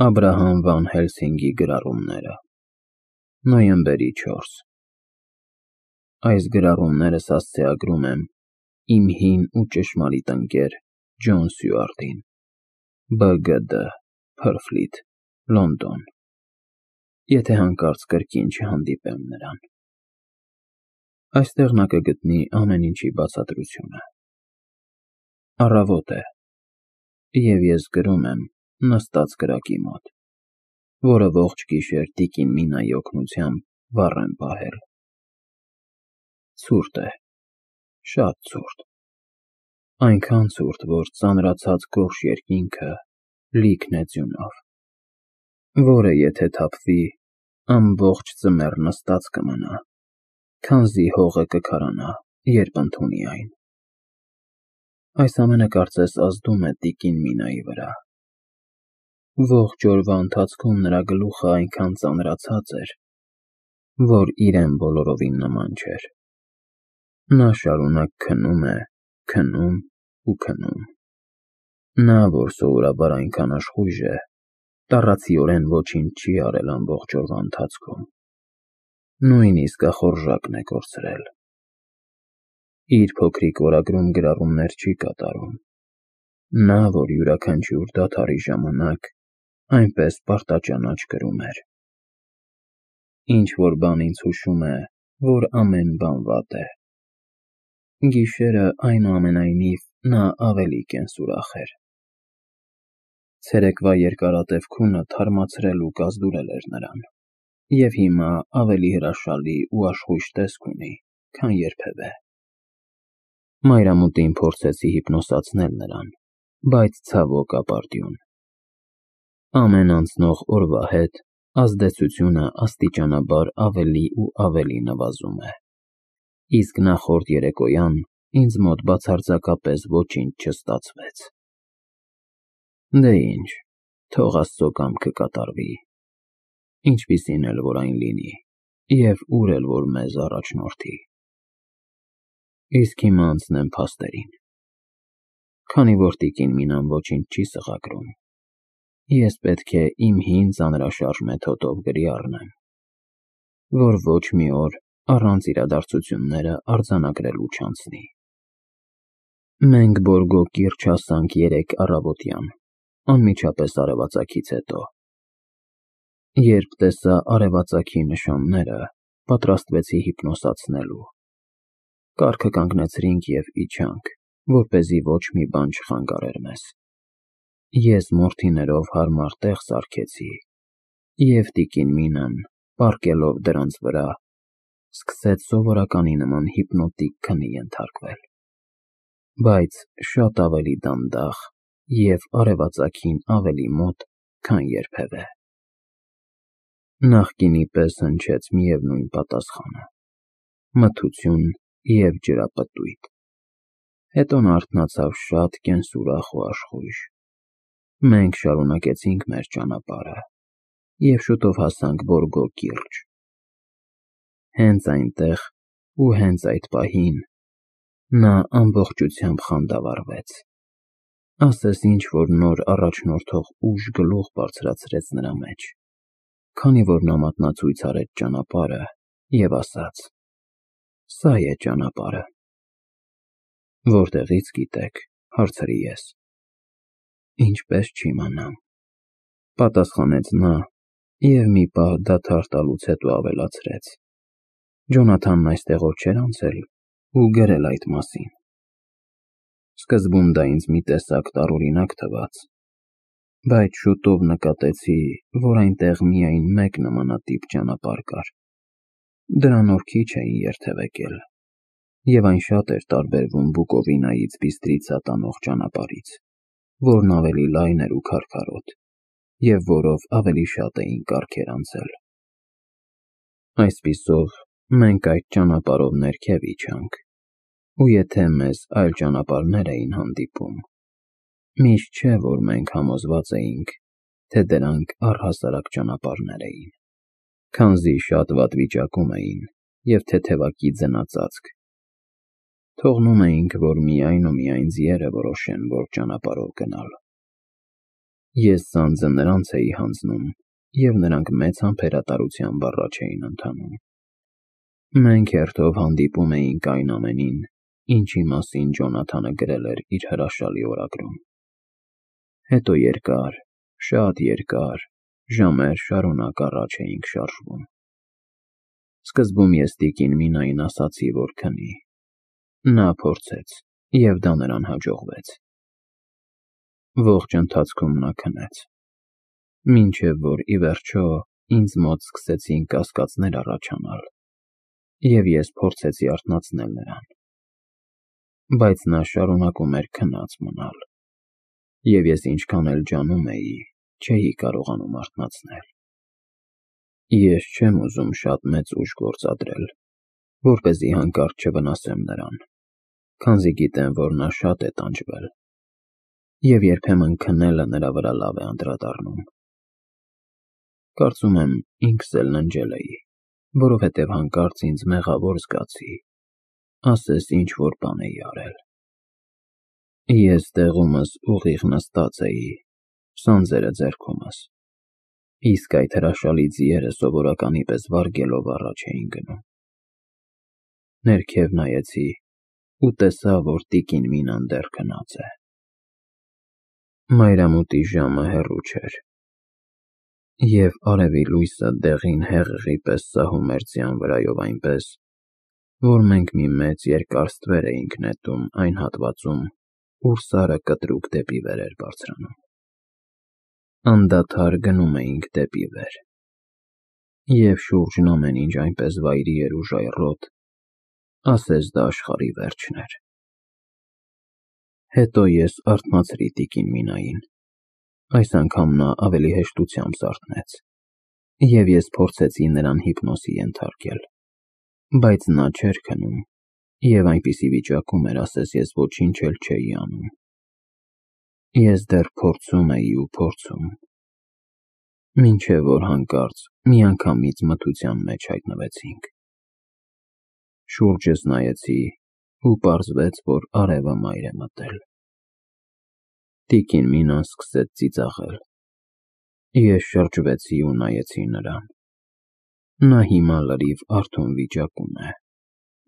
Աբրահամ Վան Հելսինգի գրառումները Նոյեմբերի 4 Այս գրառումներս հասցեագրում եմ իմ հին ու ճշմարիտ ընկեր Ջոն Սյուարտին, B.G.D. Փրֆլիթ, Լոնդոն, եթե հանկարծ կրկին չհանդիպեմ նրան։ Այստեղ նա կգտնի ամեն ինչի բացատրությունը։ Առավոտ է, և ես գրում եմ նստած կրակի մոտ, որը ողջ գիշեր տիկին Մինայի օգնությամբ վառ եմ պահել։ Ցուրտ է, շատ ցուրտ, այնքան ցուրտ, որ ծանրացած գորշ երկինքը լիքն է ձյունով, որը եթե թափվի, ամբողջ ձմեռ նստած կմնա, քանզի հողը կքարանա, երբ ընդունի այն։ Այս ամենը կարծես ազդում է տիկին Մինայի վրա։ Ողջ օրվա ընթացքում նրա գլուխը այնքան ծանրացած էր, որ իրեն բոլորովին նման չէր։ Նա շարունակ քնում է, քնում ու քնում։ Նա, որ սովորաբար այնքան աշխույժ է, տառացիորեն ոչինչ չի արել ամբողջ օրվա ընթացքում, նույնիսկ ախորժակն է կորցրել։ Իր փոքրիկ օրագրում գրառումներ չի կատարում։ Նա, որ յուրաքանչյուր դադարի ժամանակ այնպես պարտաճանաչ գրում էր։ Ինչ-որ բան ինձ հուշում է, որ ամեն բան վատ է։ Գիշերը, այնուամենայնիվ, նա ավելի կենսուրախ էր։ Ցերեկվա երկարատև քունը թարմացրել ու կազդուրել էր նրան, և հիմա ավելի հրաշալի ու աշխույժ տեսք ունի, քան երբևէ։ Մայրամուտին փորձեցի հիպնոսացնել նրան, բայց ցավոք ապարդյուն։ Ամեն անցնող օրվա հետ ազդեցությունը աստիճանաբար ավելի ու ավելի նվազում է, իսկ նախորդ երեկոյան ինձ մոտ բացարձակապես ոչինչ չստացվեց։ Դե ինչ, թող Աստծո կամքը կատարվի, ինչպիսին էլ որ այն լինի, և ուր էլ որ մեզ առաջնորդի։ Իսկ հիմա անցնեմ փաստերին։ Քանի որ տիկին Մինան ոչինչ չի սղագրում, ես պետք է իմ հին ծանրաշարժ մեթոդով գրի առնեմ, որ ոչ մի օր առանց իրադարձությունները արձանագրելու չանցնի։ Մենք Բորգո կիրճ հասանք 3 առավոտյան, անմիջապես արևածագից հետո։ Երբ տեսա արևածագի նշանները, պատրաստվեցի հիպնոսացնելու։ Կառքը կանգնեցրինք և իջանք, որպեսզի ոչ մի բան չխանգարեր մեզ։ Ես մորթիներով հարմար տեղ սարքեցի, և տիկին Մինան, պառկելով դրանց վրա, սկսեց սովորականի նման հիպնոտիկ քնի ենթարկվել, բայց շատ ավելի դանդաղ և արևածագին ավելի մոտ, քան երբևէ։ Նախկինի պես հնչեց միևնույն պատասխանը՝ մթություն և ջրապտույտ։ Հետո նա արթնացավ շատ կենսուրախ ու աշխույժ։ Մենք շարունակեցինք մեր ճանապարհը և շուտով հասանք Բորգո կիրճ։ Հենց այնտեղ ու հենց այդ պահին նա ամբողջությամբ խանդավառվեց։ Ասես ինչ-որ նոր առաջնորդող ուժ գլուխ բարձրացրեց նրա մեջ, քանի որ նա մատնացույց արեց ճանապարհը և ասաց. «Սա է ճանապարհը»։ Որտեղի՞ց գիտեք, հարցրի ես։ Ինչպես չիմանամ, պատասխանեց նա և մի պահ դադար տալուց հետո ավելացրեց. Ջոնաթանն այստեղով չէր անցել ու գրել այդ մասին։ Սկզբում դա ինձ մի տեսակ տարօրինակ թվաց, բայց շուտով նկատեցի, որ այնտեղ միայն մեկ նմանատիպ ճանապարհ կար։ Դրանով քիչ էին երթևեկել, և այն շատ էր տարբերվում Բուկովինայից Բիստրիցա տանող ճանապարհից, որն ավելի լայն էր ու քարքարոտ, և որով ավելի շատ էին կառքեր անցել։ Այսպիսով, մենք այդ ճանապարհով ներքև իջանք, ու եթե մեզ այլ ճանապարհներ էին հանդիպում, միշտ չէ, որ մենք համոզված էինք, թե դրանք առհասարակ ճանապարհներ էին, քանզի շատ վատ վիճակում էին և թեթևակի ձնածածկ։ Թողնում էինք, որ միայն ու միայն ձիերը որոշեն, որ ճանապարհով գնալ։ Ես ծանձը նրանց էի հանձնում, և նրանք մեծ համբերատարությամբ առաջ էին ընթանում։ Մենք հերթով հանդիպում էինք այն ամենին, ինչի մասին Ջոնաթանը գրել էր իր հրաշալի օրագրում։ Հետո երկար, շատ երկար, ժամեր շարունակ առաջ էինք շարժվում։ Սկզբում ես տիկին Մինային ասացի, որ քնի։ Նա փորձեց, և դա նրան հաջողվեց։ Ողջ ընթացքում նա քնեց, մինչև որ ի վերջո ինձ մոտ սկսեցին կասկածներ առաջանալ, և ես փորձեցի արթնացնել նրան։ Բայց նա շարունակում էր քնած մնալ, և ես ինչքան էլ ջանում էի, չէի կարողանում արթնացնել։ Ես չեմ ուզում շատ մեծ ուժ գործադրել, որպեսզի հանկարծ չվնասեմ նրան, քանզի գիտեմ, որ նա շատ է տանջվել, և երբեմն քնելը նրա վրա լավ է անդրադառնում։ Կարծում եմ ինքս էլ ննջել էի, որովհետև հանկարծ ինձ մեղավոր զգացի, ասես ինչ-որ բան էի արել։ Ես տեղումս ուղիղ նստած էի, սանձերը ձեռքումս, իսկ այդ հրաշալի ձիերը սովորականի պես վարգելով առաջ էին գնում։ Ներքև նայեցի ու տեսա, որ տիկին Մինան դեռ քնած է։ Մայրամուտի ժամը հեռու չէր, և արևի լույսը դեղին հեղեղի պես սահում էր ձյան վրայով այնպես, որ մենք մի մեծ երկար ստվեր էինք նետում այն հատվածում, ուր Սարը կտրուկ դեպի վեր էր բարձրանում։ Անդադար գնում էինք դեպի վեր, և շուրջն ամեն ինչ այնպես վայրի էր ու ժայռոտ, ասես դա աշխարհի վերջն էր։ Հետո ես արթնացրի տիկին Մինային, այս անգամ նա ավելի հեշտությամբ զարթնեց, և ես փորձեցի նրան հիպնոսի ենթարկել, բայց նա չէր քնում, և այնպիսի վիճակում էր, ասես ես ոչինչ էլ չէի անում։ Ես դեռ փորձում էի ու փորձում, մինչև որ հանկարծ միանգամից մթության մեջ հայտնվեցինք։ Շուրջս նայեցի ու պարզվեց, որ արևը մայր է մտել։ Տիկին Մինան սկսեց ծիծաղել։ Ես շրջվեցի ու նայեցի նրան։ Նա հիմա լրիվ արթուն վիճակում է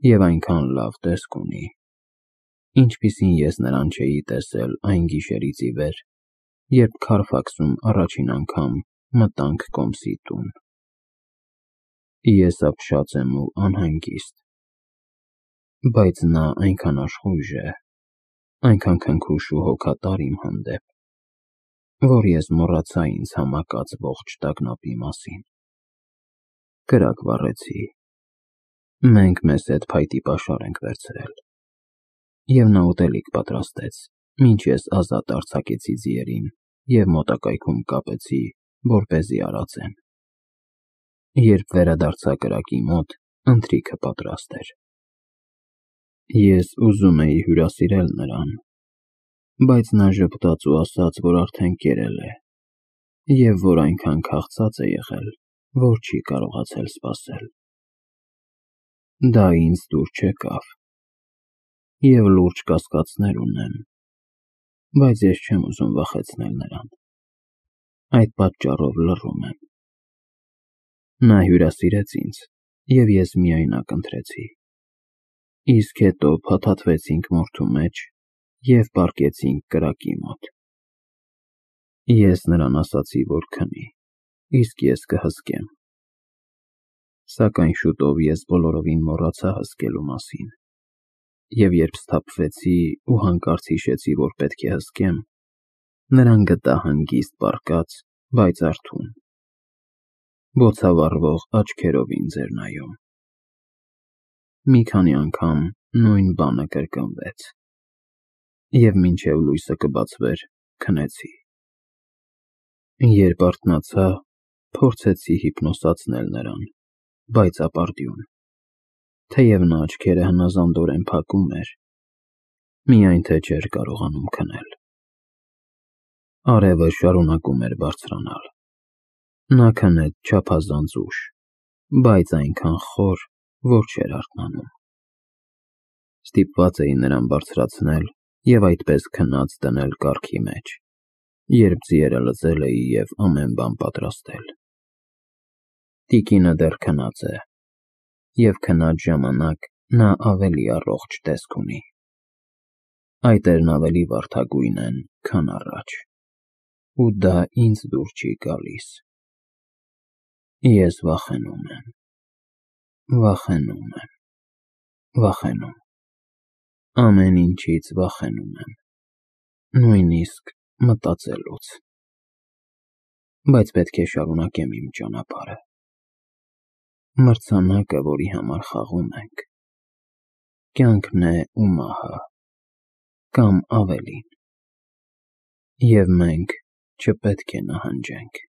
և այնքան լավ տեսք ունի, ինչպիսին ես նրան չէի տեսել այն գիշերից ի վեր, երբ Քարֆաքսում առաջին անգամ մտանք Կոմսի տուն։ Ես ապշած եմ ու անհանգիստ, բայց նա այնքան աշխույժ է, այնքան քնքուշ ու հոգատար իմ հանդեպ, որ ես մոռացա ինձ համակած ողջ տագնապի մասին։ Կրակ վառեցի։ Մենք մեզ հետ փայտի պաշար ենք վերցրել, և նա ուտելիք պատրաստեց, մինչ ես ազատ արձակեցի ձիերին և մոտակայքում կապեցի, որպեսզի արածեն։ Երբ վերադարձա կրակի մոտ, ընթրիքը պատրաստ էր։ Ես ուզում էի հյուրասիրել նրան, բայց նա ժպտաց ու ասաց, որ արդեն կերել է, և որ այնքան քաղցած է եղել, որ չի կարողացել սպասել։ Դա ինձ դուր չեկավ, և լուրջ կասկածներ ունեմ, բայց ես չեմ ուզում վախեցնել նրան։ Այդ պատճառով լռում եմ։ Նա հյուրասիրեց ինձ, և ես միայնակ ընթրեցի, իսկ հետո փաթաթվեցինք մորթու մեջ և պառկեցինք կրակի մոտ։ Ես նրան ասացի, որ քնի, իսկ ես կհսկեմ։ Սակայն շուտով ես բոլորովին մոռացա հսկելու մասին, և երբ սթափվեցի ու հանկարծ հիշեցի, որ պետք է հսկեմ, նրան գտա հանգիստ պառկած, բայց արթուն, բոցավառվող աչքերով ինձ էր նայում։ Մի քանի անգամ նույն բանը կրկնվեց, և մինչև լույսը կբացվեր, քնեցի։ Երբ արթնացա, փորձեցի հիպնոսացնել նրան, բայց ապարդյուն, թեև նա աչքերը հնազանդորեն փակում էր, միայն թե չէր կարողանում քնել։ Արևը շարունակում էր բարձրանալ։ Նա քնեց չափազանց ուշ, բայց այնքան խոր, որ չէր արթնանում։ Ստիպված էի նրան բարձրացնել և այդպես քնած դնել կառքի մեջ, երբ ձիերը լսել էի և ամեն բան պատրաստել։ Տիկինը դեռ քնած է, և քնած ժամանակ նա ավելի առողջ տեսք ունի։ Այտերն ավելի վարդագույն են, քան առաջ, ու դա ինձ դուր չի գալիս։ Ես վախենում եմ, վախենում եմ, վախենում, ամեն ինչից վախենում եմ, նույնիսկ մտածելուց։ Բայց պետք է շարունակեմ իմ ճանապարհը։ Մրցանակը, որի համար խաղում ենք, կյանքն է ու մահը, կամ ավելին, և մենք չպետք է նահանջենք։